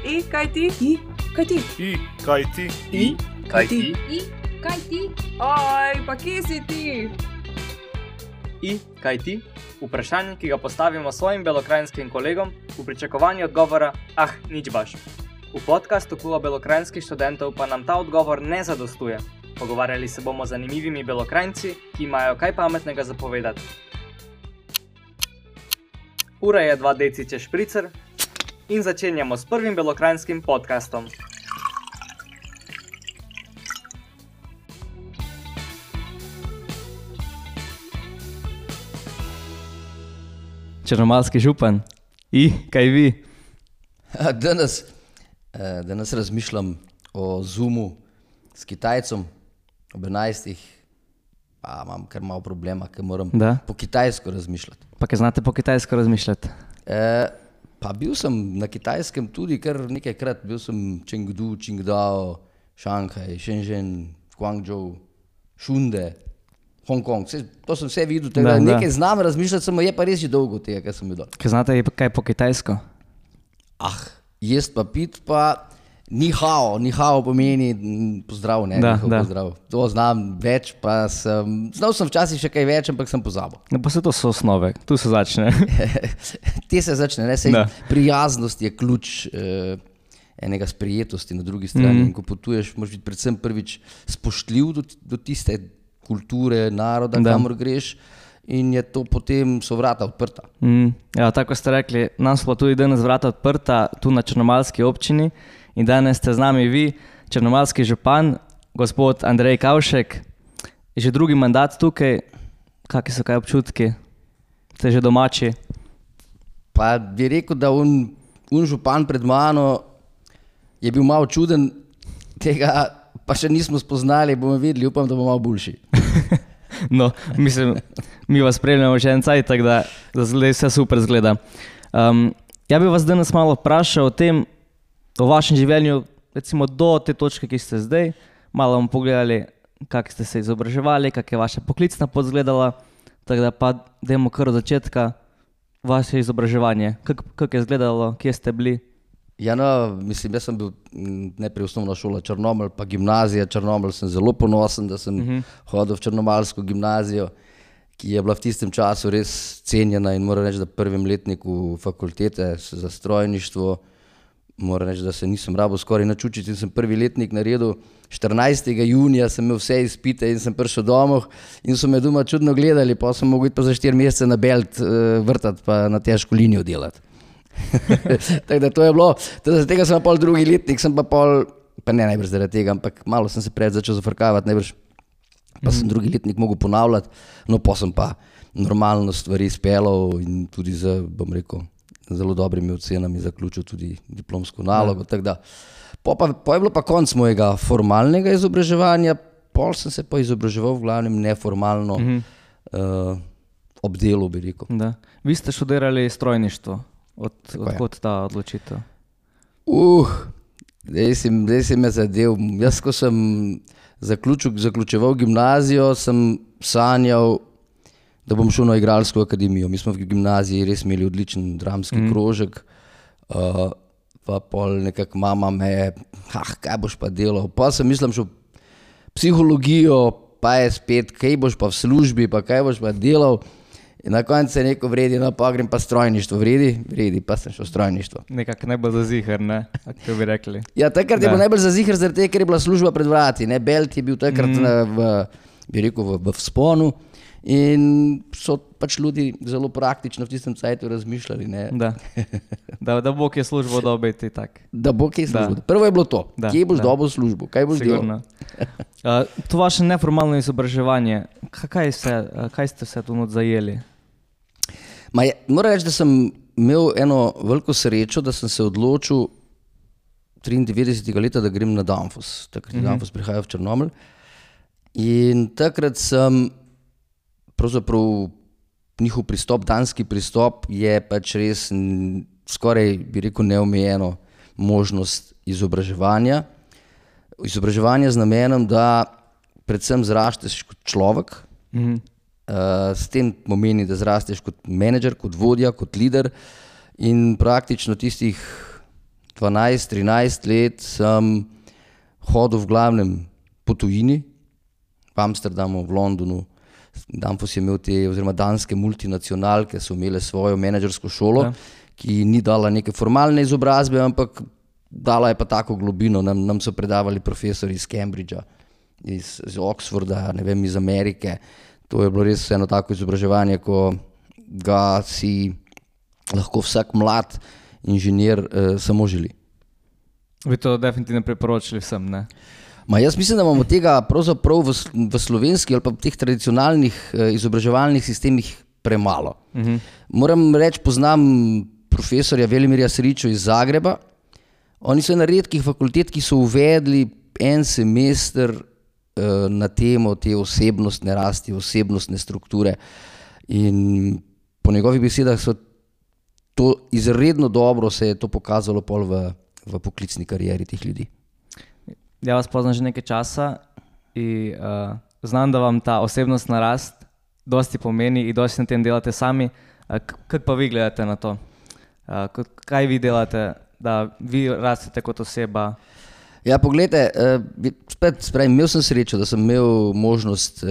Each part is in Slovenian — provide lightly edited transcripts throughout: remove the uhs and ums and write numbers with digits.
kaj ti? Oj, pa kje si ti? Kaj ti? Vprašanje, ki ga postavimo svojim belokranjskim kolegom v pričakovanju odgovora, nič baš. V podcastu Kluba belokranjskih študentov pa nam ta odgovor ne zadostuje. Pogovarjali se bomo z zanimivimi belokranjci, ki imajo kaj pametnega zapovedati. Ura je 2 decice špricer in začenjamo s prvim belokranjskim podcastom. Črnomaljski župan. Kaj vi? Danes razmišljam o Zoomu s Kitajcem ob 11. Pa imam kar malo problema, ker moram po kitajsko razmišljati. Pa kaj znate po kitajsko razmišljati? Pa bil sem na Kitajskem tudi kar nekajkrat. Bil sem Chengdu, Qingdao, Šanghaj, Shenzhen, Guangzhou, Šunde, Hongkong. To sem vse videl, nekaj znam razmišljati, samo je pa res že dolgo tega, kar sem bil dol. Kaj znate kaj po kitajsko? Jest pa pit pa ni hao pomeni pozdrav, ne? Pozdrav. To znam več, pa znal sem včasih še kaj več, ampak sem pozabil. No pa se to so osnove, tu se začne. Te se začne, prijaznost je ključ enega sprijetosti na drugi strani. In ko potuješ, moraš biti predvsem prvič spoštljiv do tiste kulture, naroda, kamor greš, in je to potem so vrata odprta. Ja, tako ste rekli, nam so tudi danes vrata odprta tu na črnomaljski občini in danes ste z nami vi, črnomaljski župan, gospod Andrej Kavšek, že drugi mandat tukaj. Kakšni so kaj občutki? Ste že domači? Pa bi rekel, da un župan pred mano je bil malo čuden, tega pa še nismo spoznali, bomo videli, upam, da bo malo boljši. No, mislim, mi vas spremljamo že en cajt, tako da zdaj vse super zgleda. Ja bi vas danes malo vprašal o vašem življenju, recimo do te točke, ki ste zdaj. Malo bomo pogledali, kako ste se izobraževali, kako je vaša poklicna pot izgledala, tako da pa dajmo kar od začetka vaše izobraževanje. Kako je izgledalo, kje ste bili? Ja, no, mislim, jaz sem bil najprej osnovna šola Črnomelj, pa gimnazija Črnomelj. Sem zelo ponosen, da sem hodil v črnomaljsko gimnazijo, ki je bila v tistem času res cenjena, in moram reči, da prvem letniku fakultete za strojništvo, moram reči, da se nisem rabil skoraj nič učiti, in sem prvi letnik naredil 14. junija, sem imel vse izpite in sem prišel domov in so me doma čudno gledali, pa sem mogel iti pa za 4 mesece na Belt vrtati pa na težko linijo delati. Tako da to je bilo, za tega sem pol drugi letnik, sem pa ne najbrž zaradi tega, ampak malo sem se pred začel zafrkavati, najbrž pa sem drugi letnik mogel ponavljati, no pa sem pa normalno stvari speljal in tudi bom rekel, zelo dobrimi ocenami zaključil tudi diplomsko nalogo, tako da po je bilo pa konc mojega formalnega izobraževanja, pol sem se pa izobraževal v glavnem neformalno ob delu, bi rekel. Da. Vi ste študirali strojništvo. Odkot ta odločitev? Zdaj si me zadev. Jaz, ko sem zaključeval gimnazijo, sem sanjal, da bom šel na igralsko akademijo. Mi smo v gimnaziji res imeli odličen dramski krožek, pa pol nekako mama me, kaj boš pa delal? Pa sem mislim šel psihologijo, pa je spet, kaj boš pa v službi, pa kaj boš pa delal? In na koncu je neko vredi, no pa grem pa strojništvo. Vredi, pa sem šel strojništvo. Nekako najbolj za ziher, ne? Kako bi rekli? Ja, takrat je bilo najbolj za ziher, zaradi tega, ker je bila služba pred vrati, ne? Belt je bil takrat v vzponu in so pač ljudi zelo praktično v tistem cajtu razmišljali, ne? Da bo kje službo dobiti, tak. Da bo kje službo. Prvo je bilo to, kje boš dobil službo, kaj boš delal. To vaše neformalno izobraževanje, kaj ste se tu zajeli? Moram reči, da sem imel eno veliko srečo, da sem se odločil 93. leta, da grem na Danfoss. Takrat je Danfoss prihajal v Črnomelj. In takrat sem pravzaprav njihov pristop, danski pristop je pač res skoraj, bi rekel, neomejeno možnost izobraževanja. Izobraževanje z namenom, da predvsem zrasteš kot človek, s tem pomeni, da zrasteš kot menedžer, kot vodja, kot lider in praktično tistih 12-13 let sem hodil v glavnem po tujini, v Amsterdamu, v Londonu. Danfoss je imel oziroma danske multinacionalke so imele svojo menedžersko šolo, ki ni dala neke formalne izobrazbe, ampak dala je pa tako globino. Nam so predavali profesori iz Cambridgea, iz Oxforda, ne vem, iz Amerike. To je bilo res eno tako izobraževanje, ko ga si lahko vsak mlad inženir samo želi. Bi to definitivno priporočili vsem, ne? Jaz mislim, da imamo tega pravzaprav v slovenski ali pa v teh tradicionalnih izobraževalnih sistemih premalo. Moram reči, poznam profesorja Velimirja Sričo iz Zagreba. Oni so ena redkih fakultet, ki so uvedli en semester na temo te osebnostne rasti, osebnostne strukture. In po njegovih besedah so to izredno dobro se je to pokazalo pol v poklicni karieri teh ljudi. Ja vas poznam že nekaj časa in znam, da vam ta osebnostna rast dosti pomeni in dosti na tem delate sami. Kako pa vi gledate na to? Kaj vi delate, da vi rastete kot oseba? Ja, poglejte, imel sem srečo, da sem imel možnost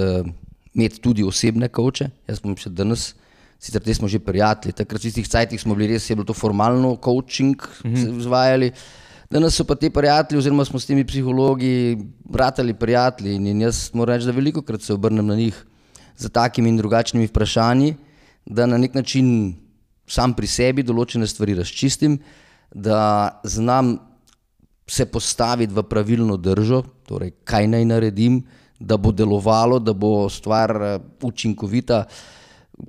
imeti tudi osebne coache. Jaz bom še danes, sicer te smo že prijatelji, takrat v tistih cajtih smo bili res, je bilo to formalno coaching izvajali. Danes so pa te prijatelji, oziroma smo s temi psihologi ratali prijatelji in jaz moram reči, da velikokrat se obrnem na njih za takimi in drugačnimi vprašanji, da na nek način sam pri sebi določene stvari razčistim, da znam se postaviti v pravilno držo, torej kaj naj naredim, da bo delovalo, da bo stvar učinkovita,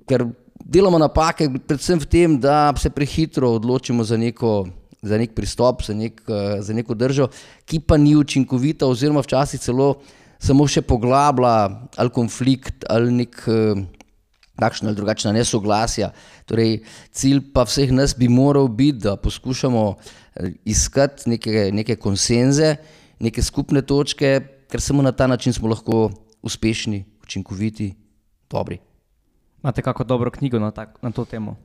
ker delamo napake predvsem v tem, da se prehitro odločimo za nek pristop, za neko držo, ki pa ni učinkovita oziroma včasih celo samo še poglablja ali konflikt ali nek takšna ali drugačna nesoglasja. Torej, cilj pa vseh nas bi moral biti, da poskušamo iskati neke konsenze, neke skupne točke, ker samo na ta način smo lahko uspešni, učinkoviti, dobri. Imate kako dobro knjigo na to temo?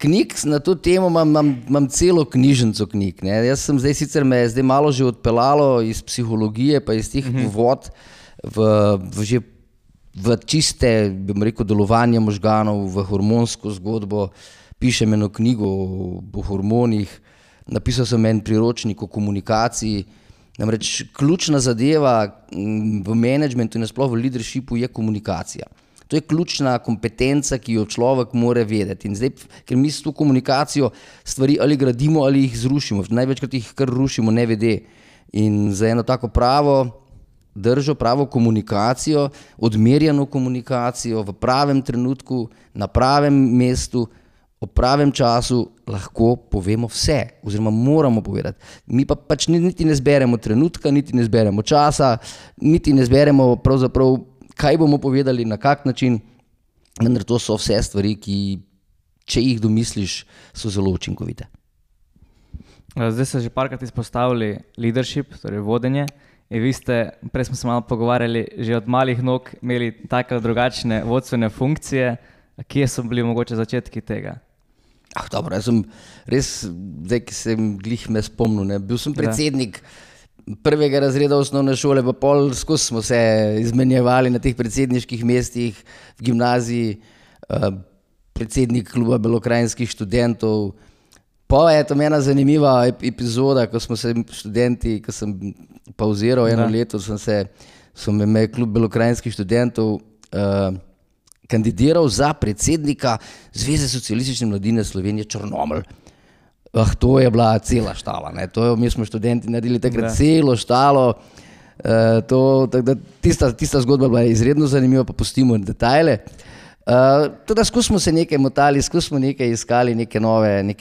Knjig na to temo imam celo knjižnico knjig. Ne. Jaz sem sicer me zdaj malo že odpeljalo iz psihologije pa iz teh vod v čiste, bom rekel, delovanje možganov, v hormonsko zgodbo. Pišem eno knjigo o hormonih, napisal sem en priročnik o komunikaciji. Namreč ključna zadeva v menedžmentu in nasploh v leadershipu je komunikacija. To je ključna kompetenca, ki jo človek mora vedeti. In zdaj, ker mi s to komunikacijo stvari ali gradimo ali jih zrušimo, največkrat jih kar rušimo nevede. In za eno tako pravo držo, pravo komunikacijo, odmerjeno komunikacijo v pravem trenutku, na pravem mestu, ob pravem času lahko povemo vse, oziroma moramo povedati. Mi pa pač niti ne zberemo trenutka, niti ne zberemo časa, niti ne zberemo pravzaprav, kaj bomo povedali, na kak način, vendar to so vse stvari, ki, če jih domisliš, so zelo učinkovite. Zdaj ste že parkrat izpostavili leadership, torej vodenje. In vi ste, prej smo se malo pogovarjali, že od malih nog imeli take drugačne vodstvene funkcije. Kje so bili mogoče začetki tega? Dobro, jaz sem res, zdaj, ki sem glih me spomnil, ne. Bil sem predsednik prvega razreda osnovne šole, pa pol skozi smo se izmenjevali na teh predsedniških mestih v gimnaziji, predsednik kluba belokranjskih študentov. Pa je to ena zanimiva epizoda, ko smo se študenti, ko sem pauziral eno leto, sem imel klub belokranjskih študentov kandidiral za predsednika Zveze socialistične mladine Slovenije Črnomelj. To je bila cela štala, ne. Mi smo študenti naredili takrat celo štalo. Tista zgodba bila izredno zanimiva, pa pustimo detajle. Teda skozi smo se nekaj motali, skozi smo nekaj iskali, neke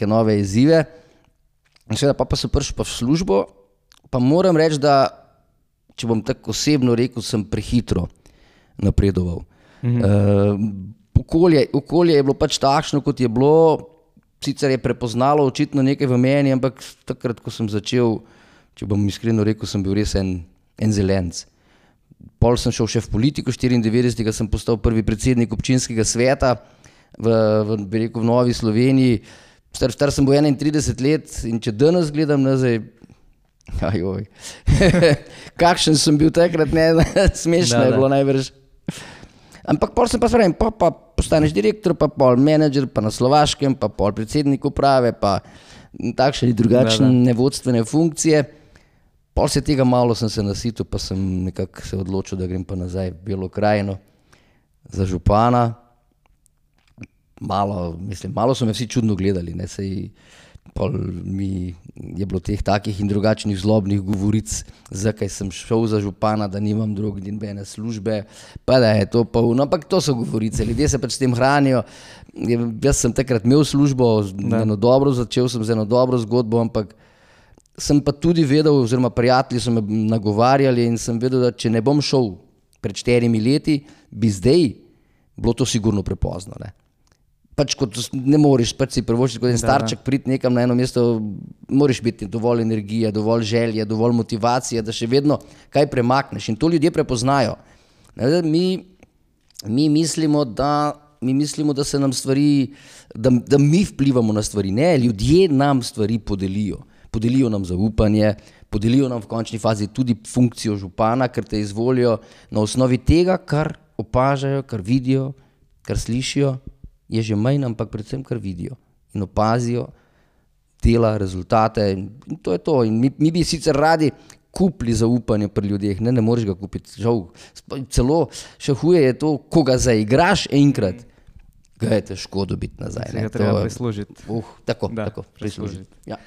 nove izzive. Seveda pa sem prišel pa v službo, pa moram reči, da, če bom tako osebno rekel, sem prehitro napredoval. Okolje je bilo pač takšno, kot je bilo, sicer je prepoznalo očitno nekaj v meni, ampak takrat, ko sem začel, če bom iskreno rekel, sem bil res en zelenc. Pol sem šel še v politiko, 94. sem postal prvi predsednik občinskega sveta v Novi Sloveniji. Star sem bil 31 let in če danes gledam nazaj, ajoj, kakšen sem bil takrat, ne, smešno je bilo najbrž. Ampak pol sem pa spravim, pa postaneš direktor, pa pol menedžer, pa na Slovaškem, pa pol predsednik uprave, pa takšne in drugačne vodstvene funkcije. Pol se tega malo sem se nasitil, pa sem nekako se odločil, da grem pa nazaj v Belo krajino za župana. Malo so me vsi čudno gledali, ne, sej pol mi je bilo teh takih in drugačnih zlobnih govoric, zakaj sem šel za župana, da nimam nobene službe, pa da je to polno, ampak to so govorice, ljudje se pač s tem hranijo. Jaz sem takrat imel službo, začel sem z eno dobro zgodbo, ampak sem pa tudi vedel, oziroma prijatelji so me nagovarjali in sem vedel, da če ne bom šel pred 4 leti, bi zdaj bilo to sigurno prepozno, ne. Pač kot ne moreš, pač si privoščiti kot en starček priti nekam na eno mesto, moraš biti dovolj energije, dovolj želje, dovolj motivacije, da še vedno kaj premakneš in to ljudje prepoznajo. Mi mislimo, da se nam stvari, da mi vplivamo na stvari, ne, ljudje nam stvari podelijo. Podelijo nam zaupanje, podelijo nam v končni fazi tudi funkcijo župana, ker te izvolijo na osnovi tega, kar opažajo, kar vidijo, kar slišijo. Je že manj, ampak predvsem kar vidijo in opazijo dela, rezultate in to je to. In mi bi sicer radi kupili zaupanje pri ljudeh, ne moreš ga kupiti, žal, celo še huje je to, ko ga zaigraš enkrat, ga je težko dobiti nazaj. Se ga treba prislužiti. Tako, prislužiti. Ja.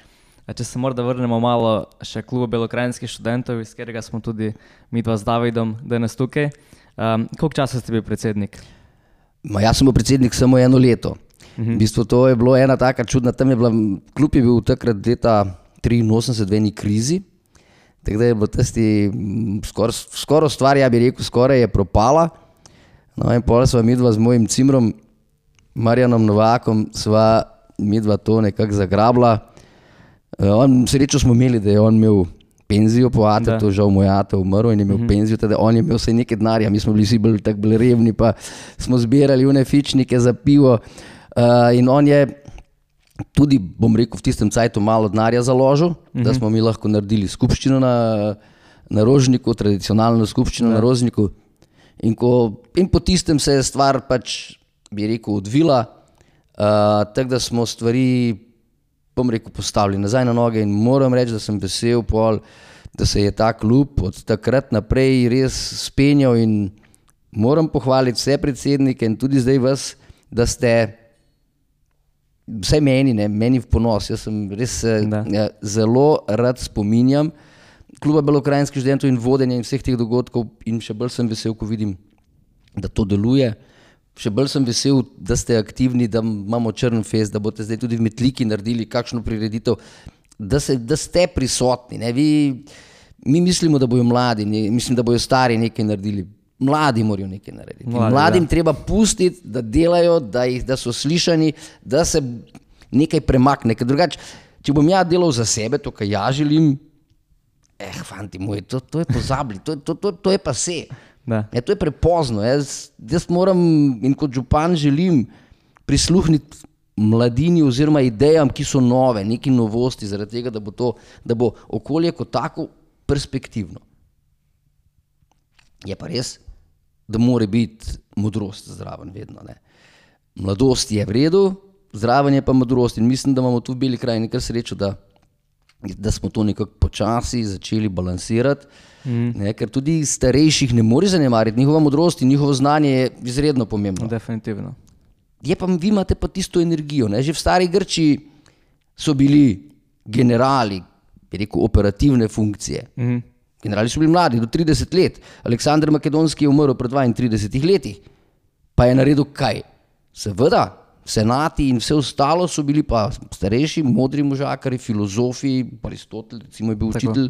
A če se morda vrnemo malo še klubu belokrajinskih študentov, iz katerega smo tudi midva z Davidom danes tukaj. Koliko časa ste bil predsednik? Jaz sem bil predsednik samo 1 leto. V bistvu to je bilo ena taka čudna, klub je bil takrat leta 83 v eni krizi, tako da je bilo tisti skoraj stvar, ja bi rekel, skoraj je propala. No in potem sva midva z mojim cimrom, Marjanom Novakom, sva midva to nekako zagrabila. Srečo smo imeli, da je on imel penzijo po atetu, žal moj ate umrl in je imel penzijo, teda on je imel vsaj nekaj denarja, mi smo bili vsi bolj revni, pa smo zbirali une fičnike za pivo in on je tudi, bom rekel, v tistem cajtu malo denarja založil, da smo mi lahko naredili skupščino na Rožniku, tradicionalno skupščino na Rožniku in po tistem se je stvar pač, bi rekel, odvila, tako da smo stvari, bom rekel, postavili nazaj na noge in moram reči, da sem vesel pol, da se je ta klub od takrat naprej res spenjal in moram pohvaliti vse predsednike in tudi zdaj vas, da ste vsaj meni v ponos. Jaz sem res zelo rad spominjam kluba belokrajinskih študentov in vodenja in vseh teh dogodkov in še bolj sem vesel, ko vidim, da to deluje. Še bolj sem vesel, da ste aktivni, da imamo Črnfest, da boste zdaj tudi v Metliki naredili kakšno prireditev, da ste prisotni. Ne? Mi mislimo, da bojo mladi, mislim, da bojo stari nekaj naredili. Mladi morajo nekaj narediti. Mladim treba pustiti, da delajo, da so slišani, da se nekaj premakne. Ker drugače, če bom ja delal za sebe, to, kar ja želim, fanti moji, to je pozabili, to je pa se. To je prepozno. Jaz moram in kot župan želim prisluhniti mladini oziroma idejam, ki so nove, neki novosti, zaradi tega, da bo okolje kot tako perspektivno. Je pa res, da mora biti modrost zraven vedno. Ne. Mladost je v redu, zraven je pa modrost in mislim, da imamo tu v Beli krajini kar srečo, da smo to nekako počasi začeli balansirati. Ker tudi starejših ne more zanemariti, njihova modrost in njihovo znanje je izredno pomembno. Definitivno. Vi imate pa tisto energijo. Ne? Že v stari Grčiji so bili generali, bi rekel, operativne funkcije. Generali so bili mladi, do 30 let. Aleksander Makedonski je umrl pred 32 letih. Pa je naredil kaj? Seveda, senati in vse ostalo so bili pa starejši, modri možakari, filozofi, Aristotel, recimo je bil učitelj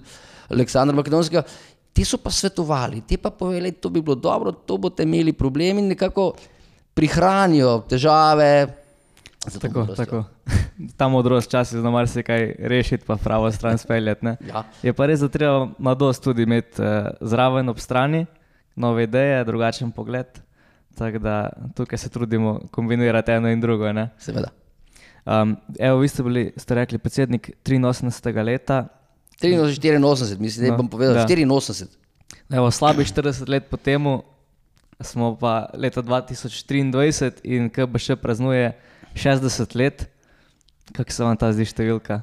Aleksandra Makedonskega, ti so pa svetovali, ti pa povedali, to bi bilo dobro, to boste imeli problemi in nekako prihranijo težave. Tako. Ta modrost časi zna marsikaj rešiti pa pravo stran speljati. Ja. Je pa res, da treba mladost tudi imeti zraven ob strani, nove ideje, drugačen pogled. Tako da tukaj se trudimo kombinirati eno in drugo. Ne? Seveda. Evo, vi ste rekli predsednik 83. leta. 84, mislim, da bom povedal, 84. Evo, slabih 40 let po temu smo pa leta 2023 in KBŠ praznuje 60 let. Kako se vam ta zdi številka?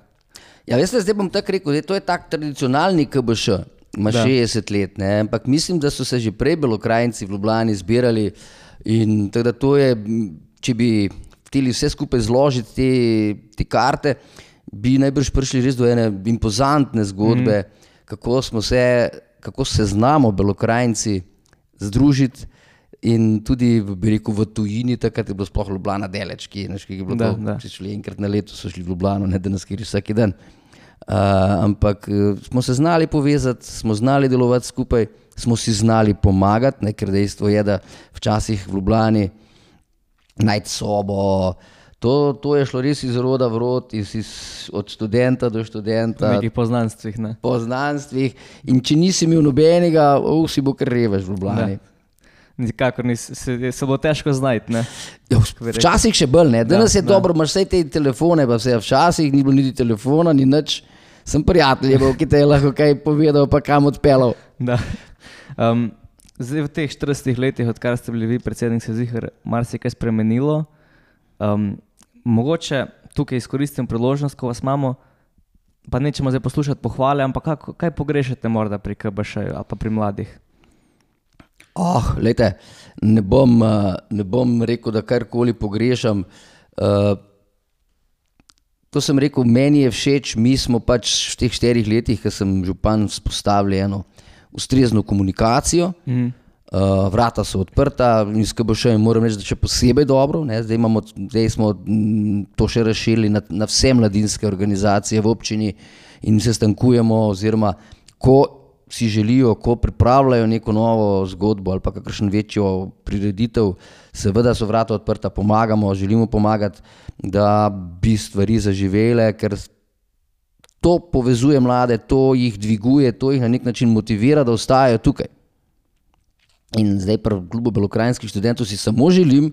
Ja, veste, zdaj bom tako rekel, to je tak tradicionalni KBŠ, ima 60 let, ne? Ampak mislim, da so se že prej Belokranjci v Ljubljani zbirali in tako da to je, če bi hteli vse skupaj zložiti te karte, bi najbrž prišli res do ene impozantne zgodbe, kako se znamo Belokranjci združiti in tudi, bi rekel, v tujini, takrat je bilo sploh Ljubljana daleč, ki je bilo če šli enkrat na leto, so šli v Ljubljano, ne danes, kjer je vsaki dan. Ampak smo se znali povezati, smo znali delovati skupaj, smo si znali pomagati, ne, ker dejstvo je, da včasih v Ljubljani najti sobo, to je šlo res iz roda v rod, od študenta do študenta. V nekih poznanstvih, ne? Poznanstvih in če nisi imel nobenega, si bo kar revež v Ljubljani. Nikakor se bo težko znajti, ne? Ja, včasih še bolj, ne? Danes je dobro, imaš vse te telefone, pa vse, včasih ni bilo niti telefona, ni nič. Sem prijatelj, ki te je lahko kaj povedal, pa kam odpeljal. Da. Zdaj v teh 40 letih, odkar ste bili vi predsednik, se zihar marsikaj spremenilo. Mogoče tukaj izkoristim priložnost, ko vas imamo, pa nećemo zdaj poslušati pohvale, ampak kaj pogrešate morda pri KBŠ-ju ali pa pri mladih? Glejte, ne bom rekel, da karkoli pogrešam. To sem rekel, meni je všeč, mi smo pač v teh 4 letih, ko sem župan, vzpostavili eno ustrezno komunikacijo. Vrata so odprta in s KBŠ-jem moram reči, da še posebej dobro. Ne? Zdaj smo to še razširili na vse mladinske organizacije v občini in se stankujemo, oziroma ko si želijo, ko pripravljajo neko novo zgodbo ali pa kakšno večjo prireditev, seveda so vrata odprta, pomagamo, želimo pomagati, da bi stvari zaživele, ker to povezuje mlade, to jih dviguje, to jih na nek način motivira, da ostajajo tukaj. In zdaj pri klubu Belokranjskih študentov si samo želim,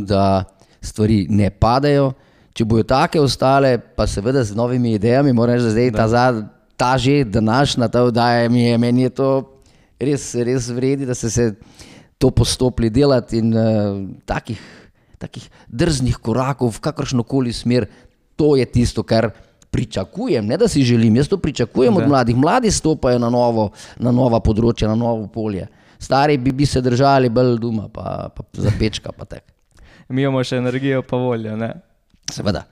da stvari ne padajo. Če bojo take ostale, pa seveda z novimi idejami, moram reči, da zdaj ta že današnja ta oddaja, meni je to res vredi, da ste se to postopili delati in takih drznih korakov v kakršnokoli smer, to je tisto, kar pričakujem, ne da si želim, jaz to pričakujem od mladih. Mladi stopajo na nova področja, na novo polje. Stari bi se držali bolj doma, pa za pečka, pa tak. Mi imamo še energijo pa voljo, ne? Seveda.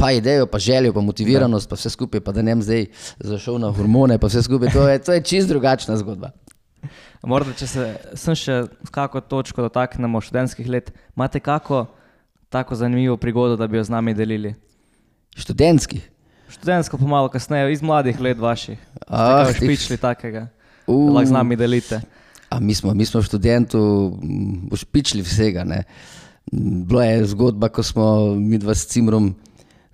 Pa idejo, pa željo, pa motiviranost, pa vse skupaj, pa da ne zdaj zašel na hormone, pa vse skupaj, to je čist drugačna zgodba. Morda, če sem še kako točko dotaknemo študentskih let, imate kako tako zanimivo prigodo, da bi jo z nami delili? Študentskih? Študentsko pa malo kasneje, iz mladih let vaših. Ste kaj špičili takega, da lahko z nami delite? Mi smo v študentu špičili vsega, ne. Bila je zgodba, ko smo midva s Cimrom,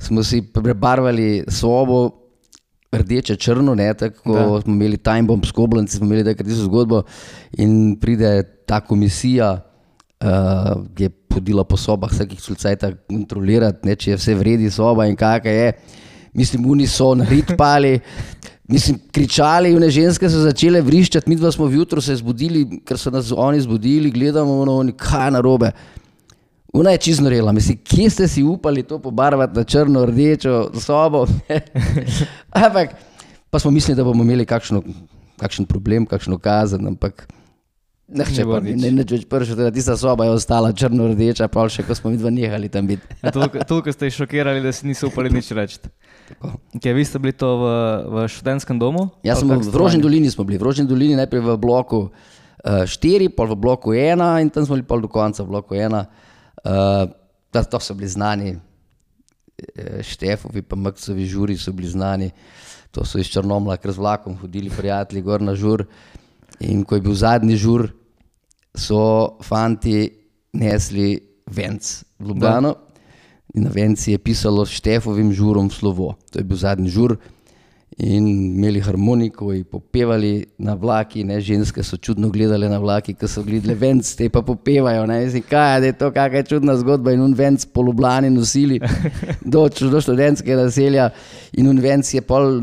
smo si prebarvali sobo rdeče črno, ne, tako smo imeli time bomb s Koblenci, smo imeli takrat tisto zgodbo in pride ta komisija, ki je hodila po sobah vsakih sulcajta kontrolirati, ne, če je vse vredi soba in kakaj je. Mislim, oni so naritpali, kričali, one ženske so začele vriščati, midva smo vjutro se zbudili, ker so nas oni zbudili, gledamo, oni, kaj narobe. Ona je čisto norela, mislim, kje ste si upali to pobarvati na črno, rdečo sobo? Ampak, pa smo mislili, da bomo imeli kakšen problem, kakšno kazen, ampak neč več pršel, da tista soba je ostala črno-rdeča, pa še, ko smo midva nehali tam biti. Toliko ste jih šokirali, da si niso upali nič reči. Vi ste bili to v študentskem domu? Ja, v Rožni dolini smo bili. V Rožni dolini najprej v bloku 4, pol v bloku 1 in tam smo bili pol do konca v bloku 1. To so bili znani, Štefovi pa Maksovi žuri so bili znani, to so iz Črnomlja kar z vlakom hodili prijatelji gor na žur in ko je bil zadnji žur, so fanti nesli venc v Ljubljano in na venci je pisalo s Štefovim žurom v slovo. To je bil zadnji žur in imeli harmoniko in popevali na vlaki, ne, ženske so čudno gledale na vlaki, ko so gledali venc, te pa popevajo, ne, mislim, kaj je to, kakšna je čudna zgodba in venc po Ljubljani nosili do študentskega naselja in venc je pol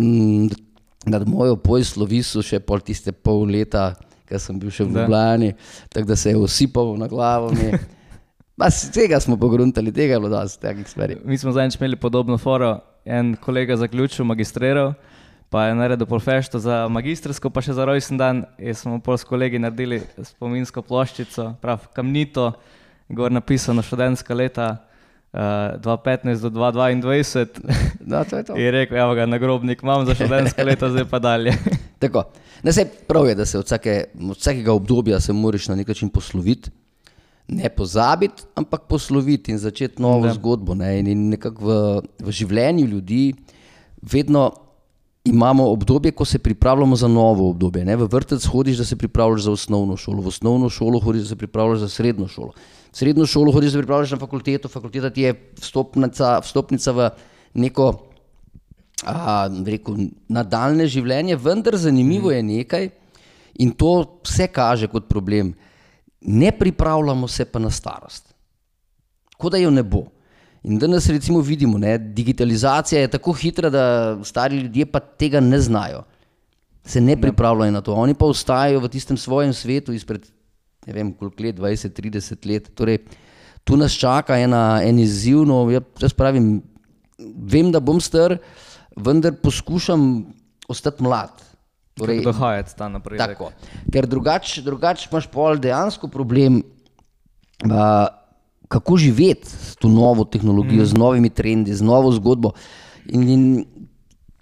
nad mojo pojslo visel še pol tiste pol leta, ko sem bil še v Ljubljani, tako da se je osipal na glavo mi. Tega smo pogruntali, tega je bilo dosti takih stvari. Mi smo zadnjič imeli podobno foro, en kolega zaključil, magistriral, pa je naredil pol fešto za magistrsko, pa še za rojsten dan, in smo pol s kolegi naredili spominsko ploščico, prav kamnito, gor napisano študentska leta 2015 do 2022. No, to je to. In rekel, evo ga, nagrobnik imam za študentska leta, zdaj pa dalje. Tako, prav je, da se od vsakega obdobja se moraš na nek način posloviti, ne pozabiti, ampak posloviti in začeti novo zgodbo. Ne? In nekako v življenju ljudi vedno imamo obdobje, ko se pripravljamo za novo obdobje. Ne? V vrtec hodiš, da se pripravljaš za osnovno šolo, v osnovno šolo hodiš, da se pripravljaš za srednjo šolo. V srednjo šolo hodiš, da se pripravljaš na fakulteto, fakulteta ti je vstopnica v neko nadaljne življenje, vendar zanimivo je nekaj in to vse kaže kot problem. Ne pripravljamo se pa na starost. Kot da jo ne bo. In danes recimo vidimo, ne, digitalizacija je tako hitra, da stari ljudje pa tega ne znajo. Se ne pripravljajo na to. Oni pa ostajajo v tistem svojem svetu izpred, ne vem koliko let, 20-30 let. Torej, tu nas čaka en izziv, no, jaz pravim, vem, da bom star, vendar poskušam ostati mlad. Torej, dohajati ta napredek. Tako, ker drugače imaš pol dejansko problem, kako živeti s to novo tehnologijo, z novimi trendi, z novo zgodbo. In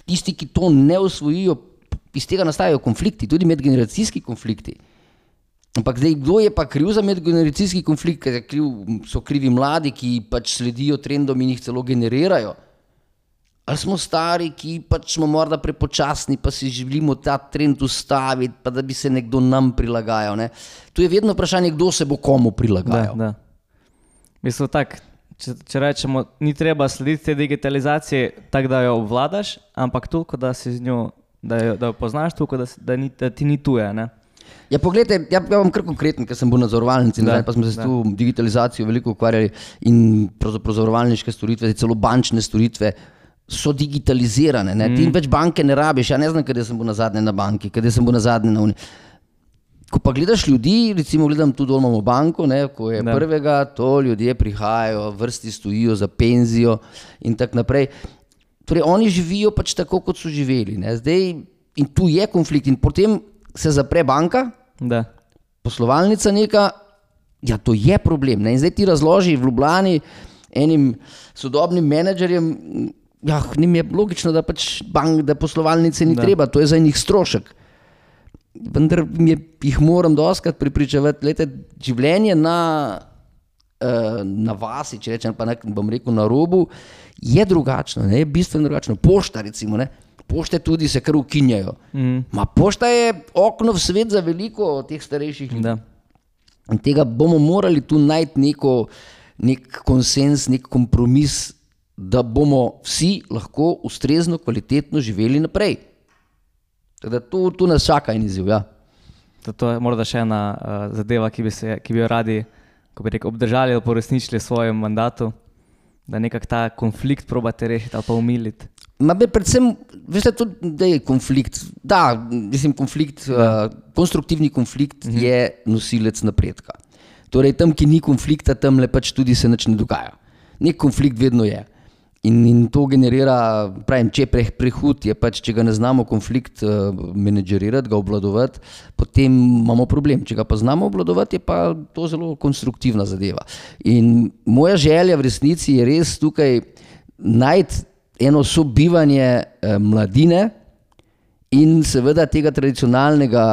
tisti, ki to ne osvojijo, iz tega nastajajo konflikti, tudi medgeneracijski konflikti. Ampak zdaj, kdo je pa kriv za medgeneracijski konflikt, ker so krivi mladi, ki pač sledijo trendom in jih celo generirajo. Ali smo stari, ki pač smo morda prepočasni, pa si želimo ta trend ustaviti, pa da bi se nekdo nam prilagajal. Ne? Tu je vedno vprašanje, kdo se bo komu prilagajal. Da. Mislim tak, če rečemo, ni treba slediti te digitalizacije tako, da jo obvladaš, ampak toliko, da si z njo, da jo poznaš, toliko, da ti ni tuje, ne? Ja, poglejte, ja bom kar konkreten, ker sem bil na zavarovalnici, pa smo se s tu digitalizacijo veliko ukvarjali in pravzaprav zavarovalniške storitve, celo bančne storitve, so digitalizirane. Ne? Ti več banke ne rabiš, ja ne znam, kada sem bil nazadnje na banki, kada sem bil nazadnje na uni. Ko pa gledaš ljudi, recimo gledam tu dol imamo banko, ne, ko je prvega, to ljudje prihajajo, vrsti stojijo za penzijo in tak naprej. Torej, oni živijo pač tako, kot so živeli. Ne? Zdaj, in tu je konflikt in potem se zapre banka, poslovalnica neka, ja to je problem. Ne? In zdaj ti razloži v Ljubljani enim sodobnim menedžerjem, ja, njim je logično, da pač da poslovalnice ni treba, to je za njih strošek. Vendar jih moram dostakrat prepričevati, lejte, življenje na vasi, če rečem, pa bom rekel na robu, je drugačno, ne, je bistveno drugačno. Pošta recimo, ne, pošte tudi se kar ukinjajo. Pošta je okno v svet za veliko teh starejših ljudi. In tega bomo morali tu najti nek konsens, nek kompromis, da bomo vsi lahko ustrezno, kvalitetno živeli naprej. Tako da tu nas čaka in izziv, ja. To je morda še ena zadeva, ki bi jo radi, ko bi rekel, obdržali ali poresničili v svojem mandatu, da nekak ta konflikt probate rešiti ali pa umiliti. Predvsem, veste, tudi, da je konflikt, konstruktivni konflikt je nosilec napredka. Torej, tam, ki ni konflikta, tam le pač tudi se nič ne dogaja. Nek konflikt vedno je. In to generira, pravim, če je prehud, je pač, če ga ne znamo konflikt menedžerirati, ga obvladovati, potem imamo problem. Če ga pa znamo obvladovati, je pa to zelo konstruktivna zadeva. In moja želja v resnici je res tukaj najti eno sobivanje mladine in seveda tega tradicionalnega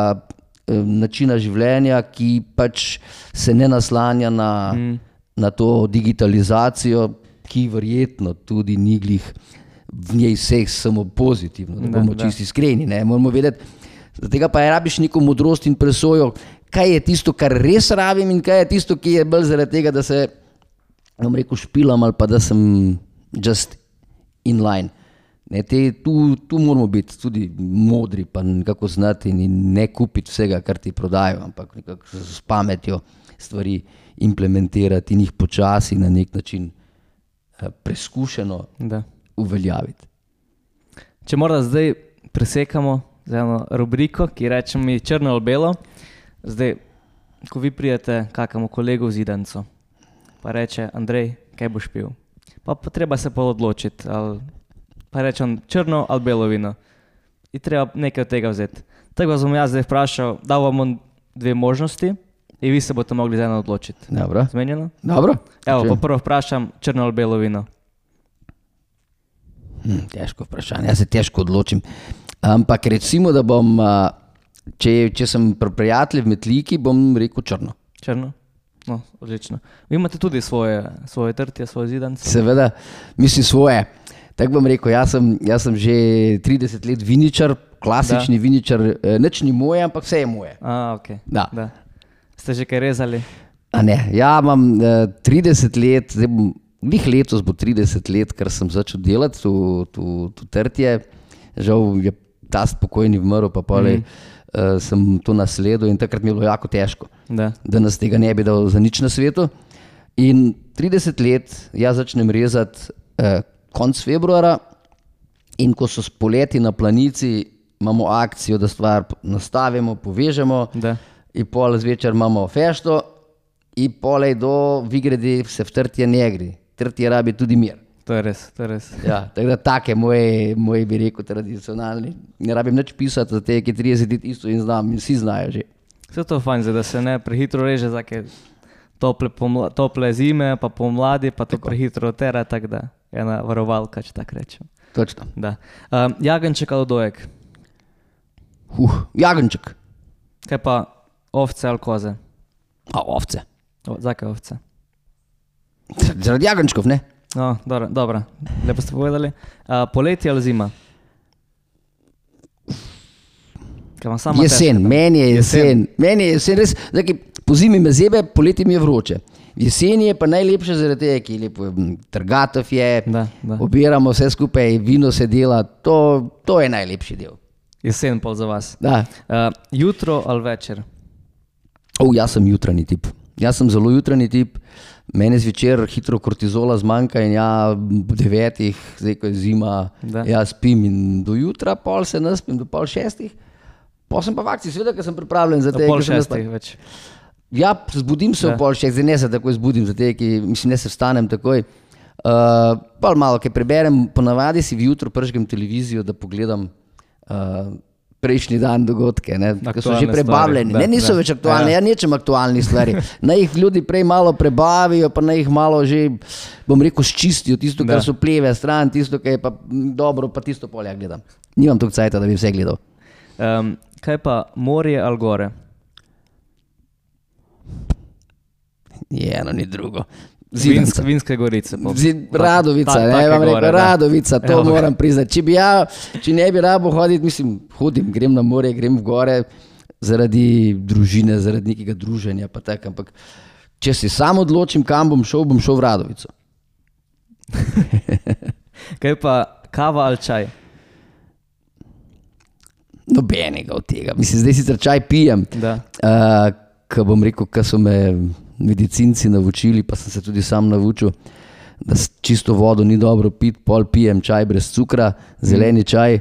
načina življenja, ki pač se ne naslanja na to digitalizacijo, ki verjetno tudi ni glih v njej vseh samo pozitivno, da bomo čisti iskreni. Moramo vedeti, za tega pa rabiš neko modrost in presojo, kaj je tisto, kar res rabim in kaj je tisto, ki je bolj zaradi tega, da se, bom rekel, špilam ali pa da sem just in line. Ne, tu moramo biti tudi modri, pa nekako znati in ne kupiti vsega, kar ti prodajo, ampak nekako s pametjo stvari implementirati in jih počasi na nek način preskušeno uveljaviti. Če morda zdaj presekamo z eno rubriko, ki reče mi črno ali belo, zdaj, ko vi prijete kakemu kolegu v zidanco, pa reče, Andrej, kaj boš pil? Pa treba se odločiti, pa reče on črno ali belo vino. In treba nekaj od tega vzeti. Tako vas bom jaz zdaj vprašal, dal vam dve možnosti in vi se boste mogli za eno odločiti. Dobro. Zmenjeno? Dobro. Evo, pa prvo vprašam, črno ali belo vino? Težko vprašanje, jaz se težko odločim. Ampak recimo, da bom, če sem pri prijatelji v Metliki, bom rekel črno. Črno? No, odlično. Vi imate tudi svoje trtje, svoje zidance? Seveda, mislim svoje. Tako bom rekel, jaz sem že 30 let viničar, klasični viničar, nič ni moje, ampak vse je moje. Ok. Da. Ste že kaj rezali? Ne, ja imam 30 let, zdaj bom, letos bo 30 let, ker sem začel delati tu trtje. Žal je ta spokojni vmrl, pa polej sem to nasledil in takrat mi je bilo jako težko, da nas tega ne bi dal za nič na svetu. In 30 let jaz začnem rezati konc februara in ko so spoleti na Planici, imamo akcijo, da stvar nastavimo, povežemo in pol zvečer imamo fešto in polej do Vigredi se v trtje ne gre. Trtje rabi tudi mir. To je res. Ja, tako da take moji bi rekel tradicionalni. Ne rabim nič pisati za te, ki 30 let isto in znam, in vsi znajo že. Vse to fajn, da se ne prehitro reže za tople zime, pa pomladi, pa to prehitro tera, tako da je ena varovalka, če tako rečem. Točno. Jagenjček ali dojek? Jagenjček. Kaj pa ovce ali koze? Ovce. Zakaj ovce? Zaradi jagenjčkov, ne? No, dobro. Lepo ste povedali. Poletje ali zima? Jesen, meni je jesen. Meni je jesen, res, po zimi me zebe, poletje mi je vroče. Jesen je pa najlepše zaradi tega, ki je lepo, trgatov je, obiramo vse skupaj, vino se dela, to je najlepši del. Jesen pol za vas. Da. Jutro ali večer? Jaz sem jutranji tip. Jaz sem zelo jutranji tip. Mene zvečer hitro kortizola zmanjka in ob 9, zdaj ko je zima, jaz spim in do jutra, pol se naspim, do pol 6. Pol sem pa v akciji, seveda, ker sem pripravljen za te. Do pol 6 več. Ja, zbudim se v pol 6, zdaj ne se takoj zbudim za te, mislim, ne se vstanem takoj. Pol malo, kaj preberem, ponavadi si vjutro pržgem televizijo, da pogledam prejšnji dan dogodke, ki so že prebavljeni. Niso več aktualni, nečem aktualnih stvari. Naj jih ljudi prej malo prebavijo, pa naj jih malo že, bom rekel, sčistijo tisto, kar so pleve stran, tisto, kar je pa dobro, pa tisto polja gledam. Nimam toliko cajta, da bi vse gledal. Kaj pa morje ali gore? Ni eno, ni drugo. Vinske gorice. Radovica, vam rekel, Radovica, to moram priznati. Če ne bi rabo hoditi, mislim, hodim, grem na morje, grem v gore zaradi družine, zaradi nekega druženja, pa tak, ampak če se sam odločim, kam bom šel v Radovico. Kaj pa kava ali čaj? Nobenega od tega. Mislim, zdaj sicer čaj pijem, ko bom rekel, ko so me medicinci naučili, pa sem se tudi sam naučil, da čisto vodo ni dobro piti, pol pijem čaj brez cukra, zeleni čaj,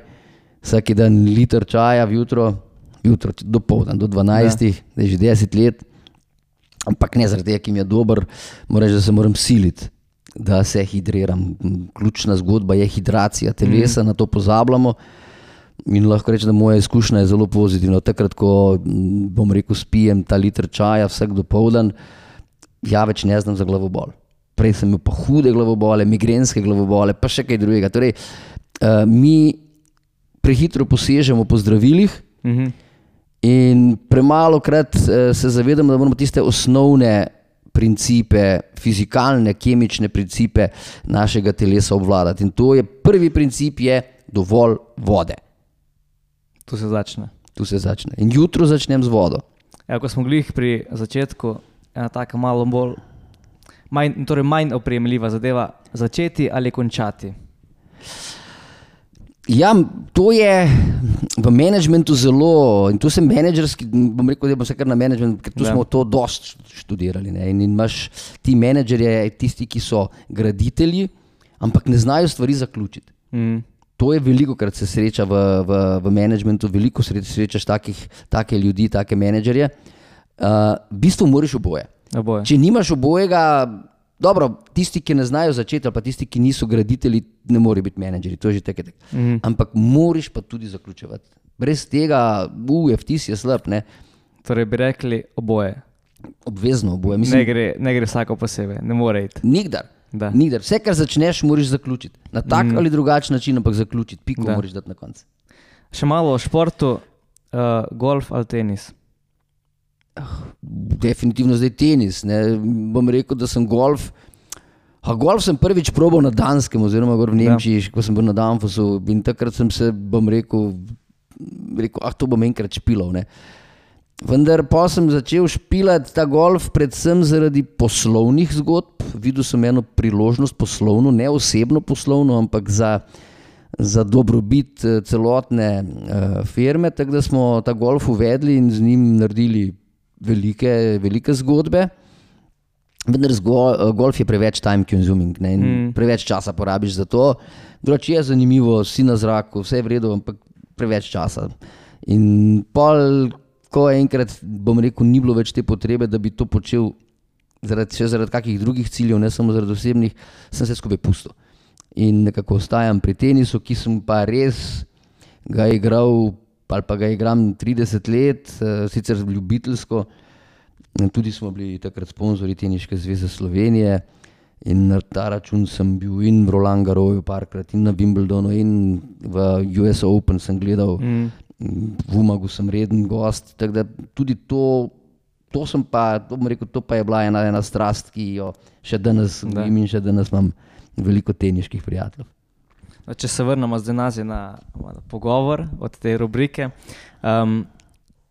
vsaki dan liter čaja jutro do poldan, do 12, da je že 10 let, ampak ne zaradi tega, ki mi je dober, moram reči, da se moram siliti, da se hidriram. Ključna zgodba je hidracija telesa, na to pozabljamo. In lahko rečem, da moja izkušnja je zelo pozitivna. Takrat, ko bom rekel, spijem ta liter čaja vsak dopoldan, ja več ne znam za glavobol. Prej sem imel pa hude glavobole, migrenske glavobole, pa še kaj drugega. Torej, mi prehitro posežemo po zdravilih in premalokrat se zavedamo, da moramo tiste osnovne principe, fizikalne, kemične principe našega telesa obvladati. In to je prvi princip, je dovolj vode. Tu se začne. In jutro začnem z vodo. Ko smo glih pri začetku, ena taka malo bolj, manj opremljiva zadeva, začeti ali končati? Ja, to je v menedžmentu zelo, in tu sem menedžerski, bom rekel, da bom se kar na menedžment, ker tu smo to dost študirali. Ne? In imaš ti menedžerje, tisti, ki so graditelji, ampak ne znajo stvari zaključiti. To je veliko krat se sreča v menedžmentu, veliko srečaš take ljudi, take menedžerje. V bistvu moraš oboje. Če nimaš obojega, dobro, tisti, ki ne znajo začeti, ali pa tisti, ki niso graditelji, ne morejo biti menedžeri, to je že tako. Ampak moraš pa tudi zaključevati. Brez tega, vtis je slab, ne? Torej bi rekli oboje. Obvezno oboje. Mislim, ne gre vsako posebej, ne more iti. Nikdar. Vse, kar začneš, moraš zaključiti. Na tak ali drugačen način, ampak zaključiti. Piko moraš dati na koncu. Še malo o športu, golf ali tenis? Definitivno zdaj tenis. Ne. Bom rekel, da sem golf sem prvič probal na Danskem oziroma gor v Nemčiji, ko sem bil na Danfosu, in takrat sem se, bom rekel, to bom enkrat špilal. Ne. Vendar pa sem začel špilati ta golf predvsem zaradi poslovnih zgodb. Videl sem eno priložnost poslovno, ne osebno poslovno, ampak za dobrobit celotne firme, tako da smo ta golf uvedli in z njim naredili velike zgodbe. Vendar golf je preveč time consuming, ne, in preveč časa porabiš za to. Drugače je zanimivo, si na zraku, vse je v redu, ampak preveč časa. In pol, ko enkrat, bom rekel, ni bilo več te potrebe, da bi to počel zaradi kakih drugih ciljev, ne samo zaradi osebnih, sem se skupaj pustil. In nekako ostajam pri tenisu, ki sem pa res ga igral, ali pa ga igram 30 let, sicer ljubiteljsko. Tudi smo bili takrat sponzorji Teniške zveze Slovenije in na ta račun sem bil in v Roland Garrosu parkrat, in na Wimbledonu, in v US Open sem gledal, v Umagu sem reden gost, tako da tudi to sem pa, bom rekel, to pa je bila ena strast, ki jo še danes gojim in še danes imam veliko teniških prijateljev. Če se vrnemo zdaj nazaj na pogovor od te rubrike,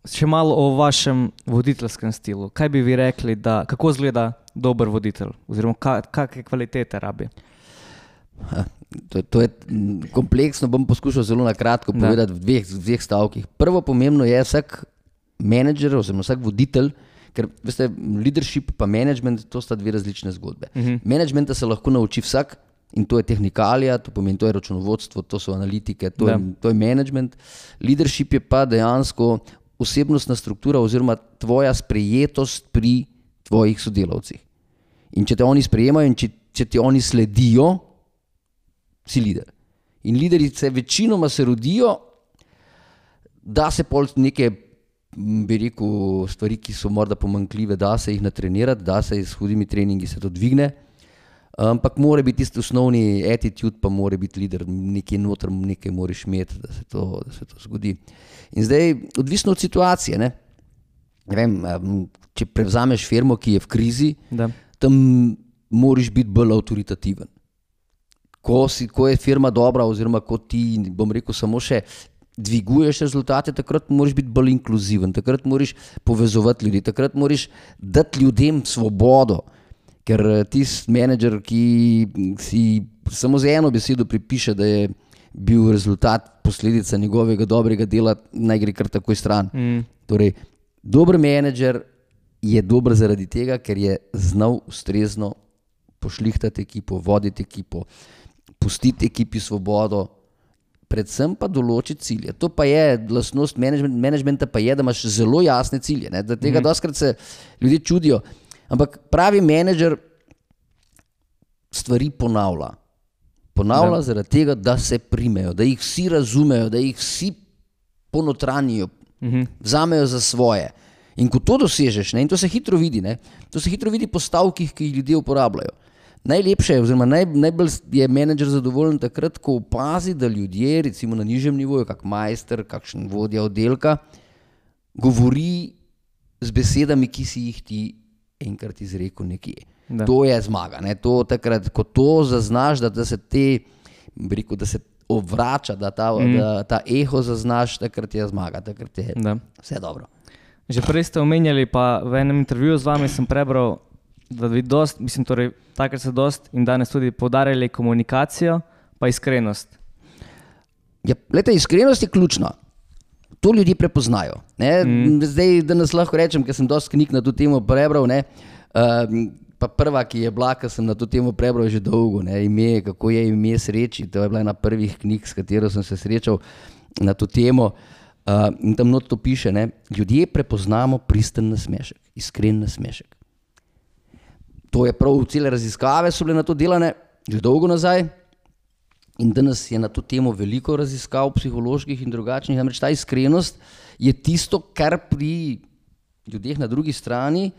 še malo o vašem voditeljskem stilu. Kaj bi vi rekli, kako izgleda dober voditelj oziroma kakšne kvalitete rabi? To je kompleksno, bom poskušal zelo na kratko povedati v dveh stavkih. Prvo pomembno je vsak menedžer oziroma vsak voditelj, ker veste, leadership pa management, to sta dve različne zgodbe. Managementa se lahko nauči vsak in to je tehnikalija, to pomeni, to je računovodstvo, to so analitike, to je management. Leadership je pa dejansko osebnostna struktura oziroma tvoja sprejetost pri tvojih sodelavcih. In če te oni sprejemajo in če ti oni sledijo, si lider. In liderice večinoma se rodijo, da se pol neke, bi rekel, stvari, ki so morda pomanjkljive, da se jih natrenirati, da se s hudimi treningi se to dvigne, ampak mora biti tisti osnovni attitude, pa mora biti lider, nekaj noter, nekaj moraš imeti, da se to zgodi. In zdaj, odvisno od situacije, ne vem, če prevzameš firmo, ki je v krizi, tam moraš biti bolj avtoritativen. Ko je firma dobra oziroma ko ti, bom rekel, samo še dviguješ rezultate, takrat moraš biti bolj inkluziven, takrat moraš povezovati ljudi, takrat moraš dati ljudem svobodo, ker tisti menedžer, ki si samo z eno besedo pripiše, da je bil rezultat posledica njegovega dobrega dela, naj gre kar takoj stran. Torej, dober menedžer je dober zaradi tega, ker je znal ustrezno pošlihtati ekipo, voditi ekipo, pustiti ekipi svobodo, predvsem pa določiti cilje. To pa je lastnost managementa, pa je, da imaš zelo jasne cilje. Ne? Da tega dostkrat se ljudje čudijo. Ampak pravi menedžer stvari ponavlja. Ponavlja zaradi tega, da se primejo, da jih vsi razumejo, da jih vsi ponotranijo, vzamejo za svoje. In ko to dosežeš, ne, in to se hitro vidi, ne, to se hitro vidi po stavkih, ki jih ljudje uporabljajo. Najlepše je, oziroma najbolj je menedžer zadovoljen takrat, ko opazi, da ljudje, recimo na nižjem nivoju, kak majster, kakšen vodja oddelka, govori z besedami, ki si jih ti enkrat izrekel nekje. To je zmaga. Ne? To takrat, ko to zaznaš, da se da se obrača, da ta eho zaznaš, takrat je zmaga, takrat je vse dobro. Že prej ste omenjali, pa v enem intervjuju z vami sem prebral, da vi dost, mislim, torej, takrat ste dost in danes tudi poudarjali komunikacijo pa iskrenost. Glejte, iskrenost je ključna. To ljudje prepoznajo. Zdaj, da nas lahko rečem, ker sem dosti knjig na to temo prebral, pa prva, ki je bila, ker sem na to temo prebral že dolgo, ime, kako je ime sreči, to je bila ena prvih knjig, s katero sem se srečal na to temo, in tam not to piše, ljudje prepoznamo pristen nasmešek, iskren nasmešek. To je prav, cele raziskave so bile na to delane že dolgo nazaj. In danes je na to temo veliko raziskav psiholoških in drugačnih, namreč ta iskrenost je tisto, kar pri ljudeh na drugi strani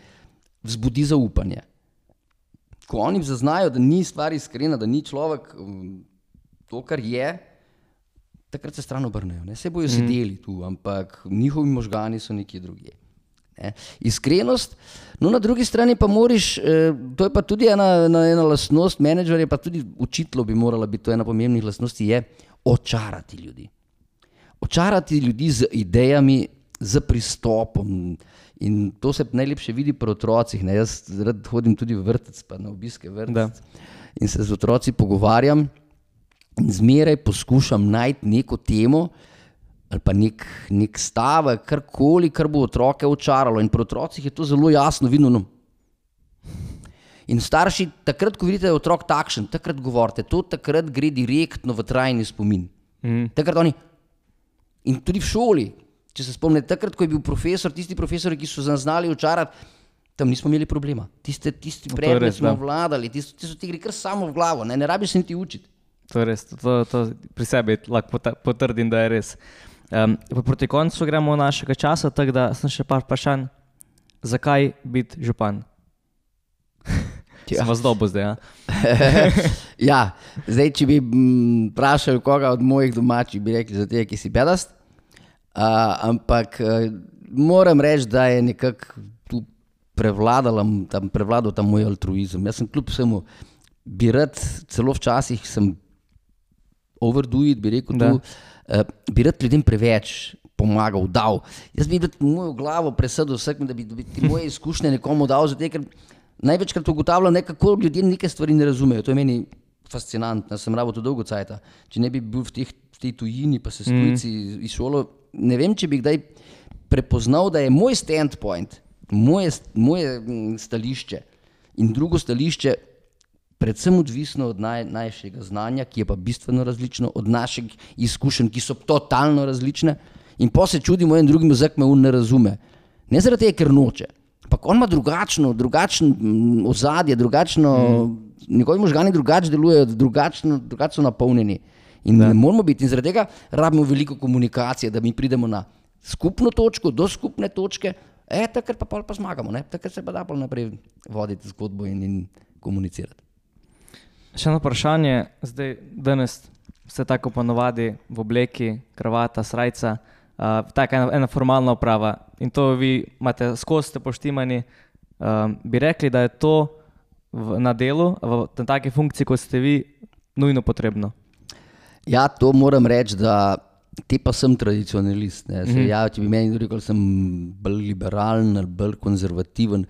vzbudi zaupanje. Ko oni zaznajo, da ni stvar iskrena, da ni človek to, kar je, takrat se stran obrnejo. Se bojo sedeli tu, ampak njihovi možgani so nekje drugje. Iskrenost, no na drugi strani pa moraš, to je pa tudi ena lastnost menedžerja, pa tudi učitelj bi morala biti, to je ena pomembnih lastnosti, je očarati ljudi. Očarati ljudi z idejami, z pristopom, in to se najlepše vidi pri otrocih. Jaz rad hodim tudi v vrtec, pa na obiske vrtec, in se z otroci pogovarjam in zmeraj poskušam najti neko temo ali pa nek stavek, karkoli, kar bo otroke očaralo. In pri otrocih je to zelo jasno vidno. In starši, takrat, ko vidite, da je otrok takšen, takrat govorite, to takrat gre direktno v trajni spomin. Takrat oni, in tudi v šoli, če se spomnite, takrat, ko je bil profesor, tisti profesori, ki so znali očarati, tam nismo imeli problema. Tisti predmet smo vladali, tisti so ti gre kar samo v glavo, ne rabiš se niti učiti. To je res, to pri sebi lahko potrdim, da je res. Proti koncu gremo našega časa, tako da sem še par vprašanj. Zakaj biti župan? Sem vas dobil zdaj, Ja, zdaj, če bi vprašal koga od mojih domačih, bi rekli za tega, ki si bedast. Ampak moram reči, da je nekako tu prevladal ta moj altruizem. Jaz sem kljub vsemu, bi rad, celo včasih sem overdo it, bi rekel tu, bi rad ljudem preveč pomagal, dal. Jaz bi mojo glavo presedel vsak, da bi ti moje izkušnje nekomu dal, zato ker največkrat ugotavljam, kako ljudje neke stvari ne razumejo. To je meni fascinantno, sem rabo to dolgo cajta. Če ne bi bil v tej tujini, pa se s tujci izšolo, ne vem, če bi kdaj prepoznal, da je moj standpoint, moje stališče in drugo stališče predvsem odvisno od najšega znanja, ki je pa bistveno različno, od naših izkušenj, ki so totalno različne, in pa se čudimo en drugim, zakaj me on ne razume. Ne zaradi tega, ker noče, ampak on ima drugačno ozadje, njegovi možgani drugače delujejo, drugače so napolnjeni. In ne moramo biti, in zaradi tega rabimo veliko komunikacije, da mi pridemo na skupno točko, do skupne točke, takrat pa zmagamo, takrat se pa da naprej voditi zgodbo in komunicirati. Še eno vprašanje, zdaj danes ste tako ponovadi v obleki, kravata, srajca, taka ena formalna oprava in to vi imate skozi ste poštimani, bi rekli, da je to na delu, na taki funkciji, kot ste vi, nujno potrebno? Ja, to moram reči, da te pa sem tradicionalist. Če bi meni rekel, sem bolj liberalen ali bolj konzervativen,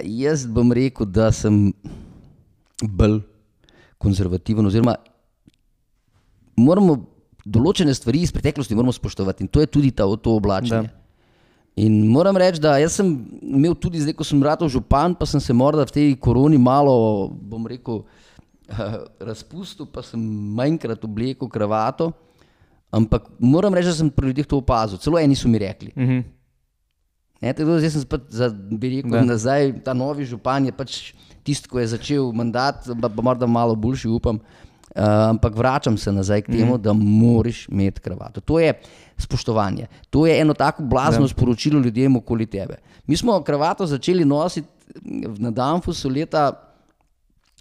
jaz bom rekel, da sem bolj konzervativen, oziroma moramo določene stvari iz preteklosti moramo spoštovati in to je tudi to oblačenje. In moram reči, da jaz sem imel tudi zdaj, ko sem ratal župan, pa sem se morda v tej koroni malo, bom rekel, razpustil, pa sem manjkrat oblekel kravato, ampak moram reči, da sem pri ljudeh to opazil. Celo eni so mi rekli. Zdaj sem bi rekel nazaj, ta novi župan je pač tisti, ko je začel mandat, pa morda malo boljši, upam, ampak vračam se nazaj k temu, da moraš imeti kravato. To je spoštovanje. To je eno tako blazno sporočilo ljudem okoli tebe. Mi smo kravato začeli nositi na Danfosu leta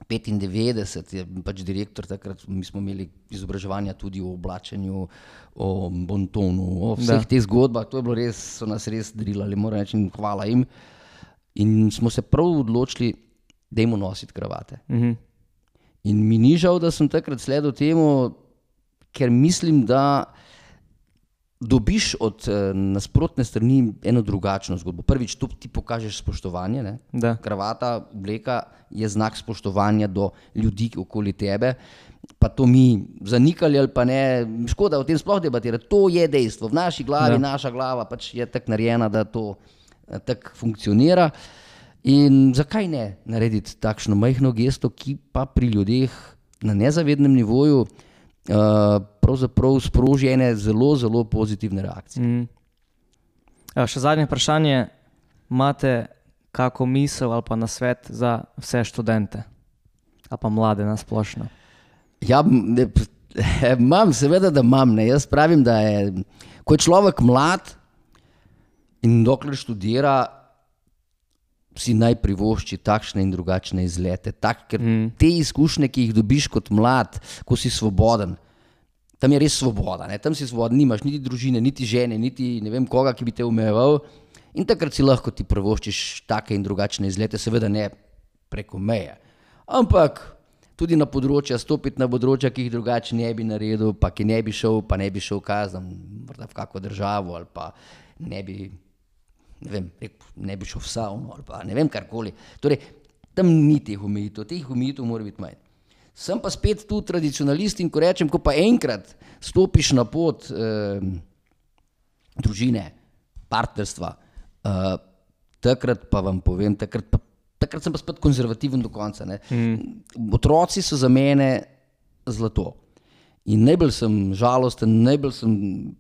95, je pač direktor takrat, mi smo imeli izobraževanja tudi o oblačenju, o bontonu, o vseh teh zgodbah, to je bilo res, so nas res drilali, moram reči, hvala jim. In smo se prav odločili, dajmo nositi kravate. In mi ni žal, da sem takrat sledil temu, ker mislim, da dobiš od nasprotne strani eno drugačno zgodbo. Prvič, tu ti pokažeš spoštovanje, kravata, obleka je znak spoštovanja do ljudi okoli tebe pa to mi zanikali ali pa ne, škoda o tem sploh debatirati, to je dejstvo, v naši glavi, naša glava pač je tako narejena, da to tako funkcionira in zakaj ne narediti takšno majhno gesto, ki pa pri ljudeh na nezavednem nivoju pravzaprav sproži ene zelo, zelo pozitivne reakcije. Še zadnje vprašanje, imate kako misel ali pa nasvet za vse študente ali pa mlade nasplošno? Ja, imam, seveda, da imam. Ne. Jaz pravim, da je, ko je človek mlad in dokler študira, si naj privošči takšne in drugačne izlete. Ker te izkušnje, ki jih dobiš kot mlad, ko si svoboden, tam je res svoboda. Ne. Tam si svoboden, nimaš niti družine, niti žene, niti ne vem koga, ki bi te omejeval. In takrat si lahko ti privoščiš take in drugačne izlete, seveda ne preko meje. Ampak tudi na področja, stopiti na področja, ki jih drugače ne bi naredil, pa ki ne bi šel kazam, morda v kakvo državo, ali pa ne bi šel v savno, ali pa ne vem karkoli. Torej, tam ni teh omejitev mora biti manj. Sem pa spet tu tradicionalist in ko rečem, ko pa enkrat stopiš na pot družine, partnerstva, takrat pa vam povem, takrat sem pa spet konzervativen do konca. Ne. Otroci so za mene zlato. In najbolj sem žalosten, najbolj sem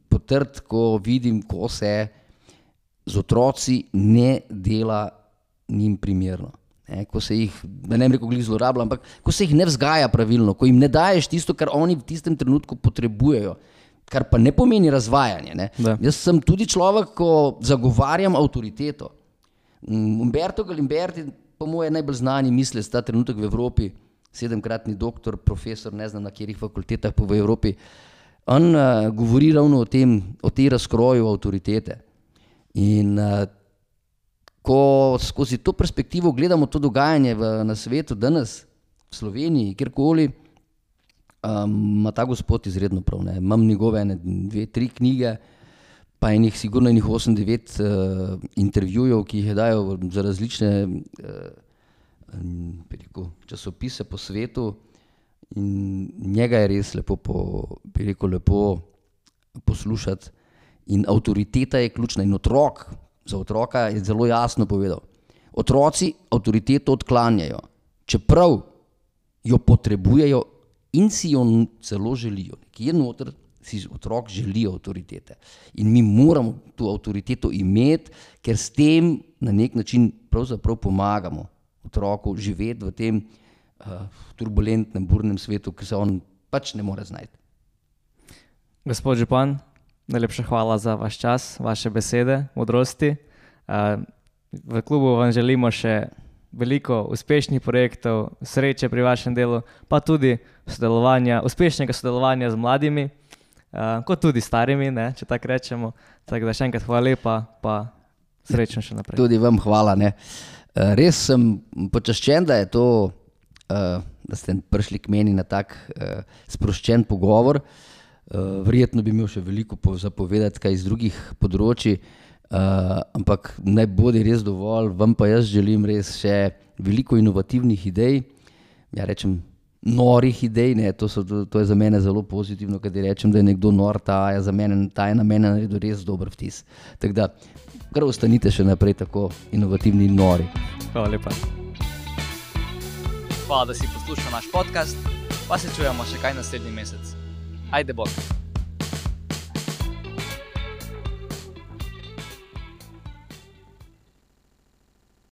potrt, ko vidim, ko se z otroci ne dela njim primerno. Ko se jih, da ne rekel glih zlorablja, ampak ko se jih ne vzgaja pravilno, ko jim ne daješ tisto, kar oni v tistem trenutku potrebujejo, kar pa ne pomeni razvajanje. Ne. Jaz sem tudi človek, ko zagovarjam avtoriteto. Umberto Galimberti, po moje najbolj znani mislec ta trenutek v Evropi, 7-kratni doktor, profesor, ne znam na katerih fakultetah po v Evropi, on govori ravno o tej razkroju avtoritete. In ko skozi to perspektivo gledamo to dogajanje na svetu danes, v Sloveniji, kjerkoli, ima ta gospod izredno prav. Ne. Imam njegove 2-3 knjige, pa sigurno 8-9 intervjujev, ki jih je dajal za različne časopise po svetu in njega je res lepo poslušati in avtoriteta je ključna in za otroka je zelo jasno povedal. Otroci avtoriteto odklanjajo, čeprav jo potrebujejo in si jo celo želijo. Ki je noter, si otrok želi avtoritete. In mi moramo to avtoriteto imeti, ker s tem na nek način pravzaprav pomagamo otroku živeti v tem turbulentnem, burnem svetu, ki se on pač ne more znajti. Gospod župan, najlepša hvala za vaš čas, vaše besede, modrosti. V klubu vam želimo še veliko uspešnih projektov, sreče pri vašem delu, pa tudi uspešnega sodelovanja z mladimi, kot tudi starimi, ne, če tako rečemo. Tako da še enkrat hvala lepa, pa srečno še naprej. Tudi vam hvala. Ne. Res sem počaščen, da je to, da ste prišli k meni na tak sproščen pogovor. Verjetno bi imel še veliko zapovedati kaj iz drugih področji, ampak naj bodi res dovolj, vam pa jaz želim res še veliko inovativnih idej, ja rečem norih idej, ne, to je za mene zelo pozitivno, kadar rečem, da je nekdo nor, ta je na mene naredil res dober vtis. Tako da, kar ostanite še naprej tako inovativni in nori. Hvala lepa. Hvala, da si poslušal naš podcast, pa se čujemo še kaj naslednji mesec. Ajde bok!